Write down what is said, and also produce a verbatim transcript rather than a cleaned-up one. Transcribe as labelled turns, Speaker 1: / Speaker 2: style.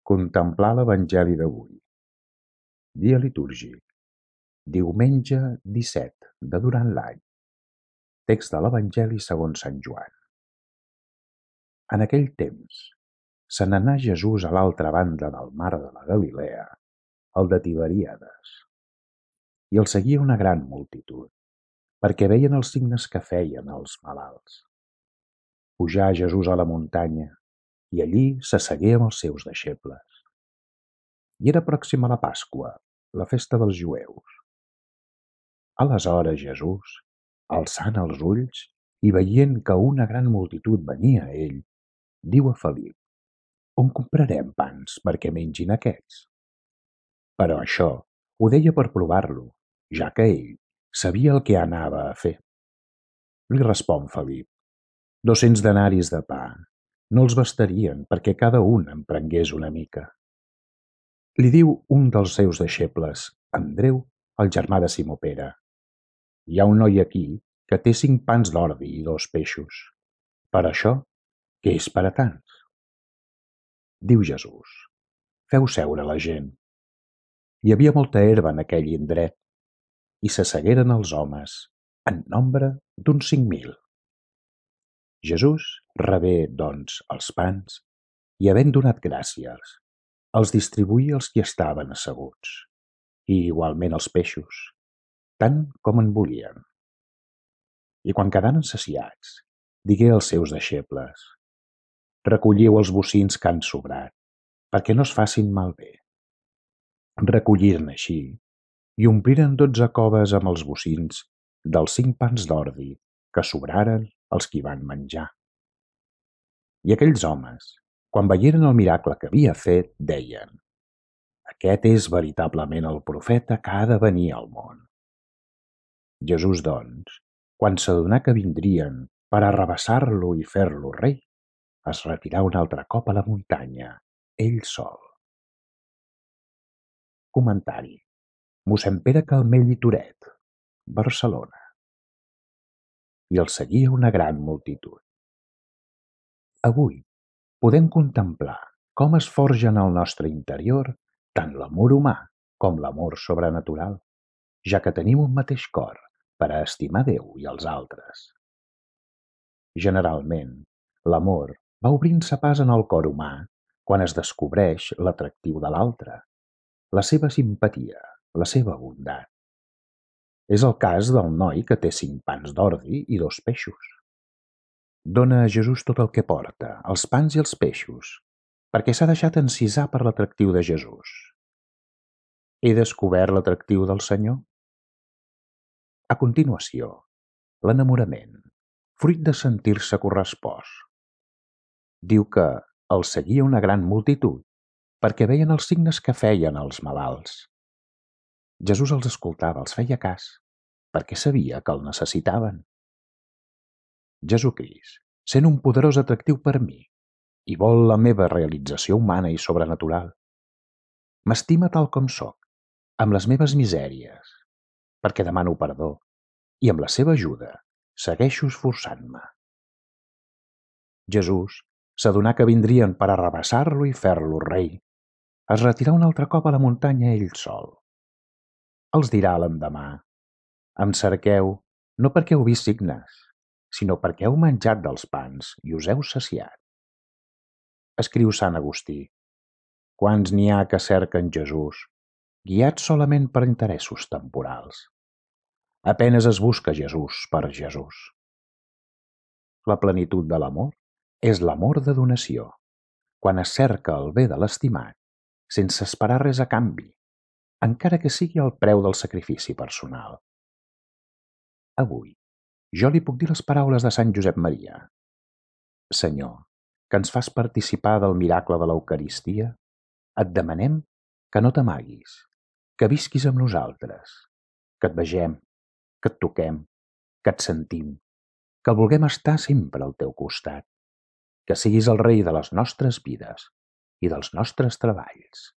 Speaker 1: Contemplar l'Evangeli d'avui. Dia litúrgic. Diumenge disset de durant l'any. Text de l'Evangeli segons Sant Joan. En aquell temps, se n'anà Jesús a l'altra banda del mar de la Galilea, el de Tiberíades. I el seguia una gran multitud, perquè veien els signes que feien els malalts. Pujà Jesús a la muntanya, i allí s'assegué amb els seus deixebles. I era pròxima la Pasqua, la festa dels jueus. Aleshores Jesús, alçant els ulls i veient que una gran multitud venia a ell, diu a Felip: «On comprarem pans perquè mengin aquests?» Però això ho deia per provar-lo, ja que ell sabia el que anava a fer. Li respon Felip: «Dos-cents denaris de pa no els bastarien perquè cada un en prengués una mica». Li diu un dels seus deixebles, Andreu, el germà de Simó Pere: «Hi ha un noi aquí que té cinc pans d'ordi i dos peixos. Per això, què és per a tants?» Diu Jesús: «Feu seure la gent». Hi havia molta herba en aquell indret, i s'assegueren els homes, en nombre d'uns cinc mil. Jesús rebé, doncs, els pans, i havent donat gràcies, els distribuí als qui estaven asseguts, i igualment els peixos, tant com en volien. I quan quedaren saciats, digué als seus deixebles: «Recolliu els bocins que han sobrat, perquè no es facin malbé». Recolliren així, i ompliren dotze coves amb els bocins dels cinc pans d'ordi que sobraren als qui van menjar. I aquells homes, quan veieren el miracle que havia fet, deien: «Aquest és veritablement el profeta que ha de venir al món». Jesús, doncs, quan s'adonà que vindrien per arrabassar-lo i fer-lo rei, es retirà un altre cop a la muntanya, ell sol. Comentari: mossèn Pere Calmell i Toret, Barcelona. I el seguia una gran multitud. Avui podem contemplar com es forja en el nostre interior tant l'amor humà com l'amor sobrenatural, ja que tenim un mateix cor per a estimar Déu i els altres. Generalment, l'amor va obrint-se pas en el cor humà quan es descobreix l'atractiu de l'altre, la seva simpatia, la seva bondat. És el cas del noi que té cinc pans d'ordi i dos peixos. Dona a Jesús tot el que porta, els pans i els peixos, perquè s'ha deixat encisar per l'atractiu de Jesús. He descobert l'atractiu del Senyor? A continuació, l'enamorament, fruit de sentir-se correspost. Diu que el seguia una gran multitud perquè veien els signes que feien els malalts. Jesús els escoltava, els feia cas, perquè sabia que el necessitaven. Jesucrist sent un poderós atractiu per mi i vol la meva realització humana i sobrenatural. M'estima tal com sóc, amb les meves misèries, perquè demano perdó, i amb la seva ajuda segueixo esforçant-me. Jesús s'adonà que vindrien per arrabassar-lo i fer-lo rei. Es retirà un altre cop a la muntanya ell sol. Els dirà l'endemà: «Em cerqueu no perquè heu vist signes, sinó perquè heu menjat dels pans i us heu saciat». Escriu Sant Agustí: «Quants n'hi ha que cerquen Jesús, guiats solament per interessos temporals? A penes es busca Jesús per Jesús». La plenitud de l'amor és l'amor de donació, quan es cerca el bé de l'estimat sense esperar res a canvi, encara que sigui al preu del sacrifici personal. Avui, jo li puc dir les paraules de Sant Josep Maria: «Senyor, que ens fas participar del miracle de l'Eucaristia, et demanem que no t'amaguis, que visquis amb nosaltres, que et vegem, que et toquem, que et sentim, que vulguem estar sempre al teu costat, que siguis el rei de les nostres vides i dels nostres treballs».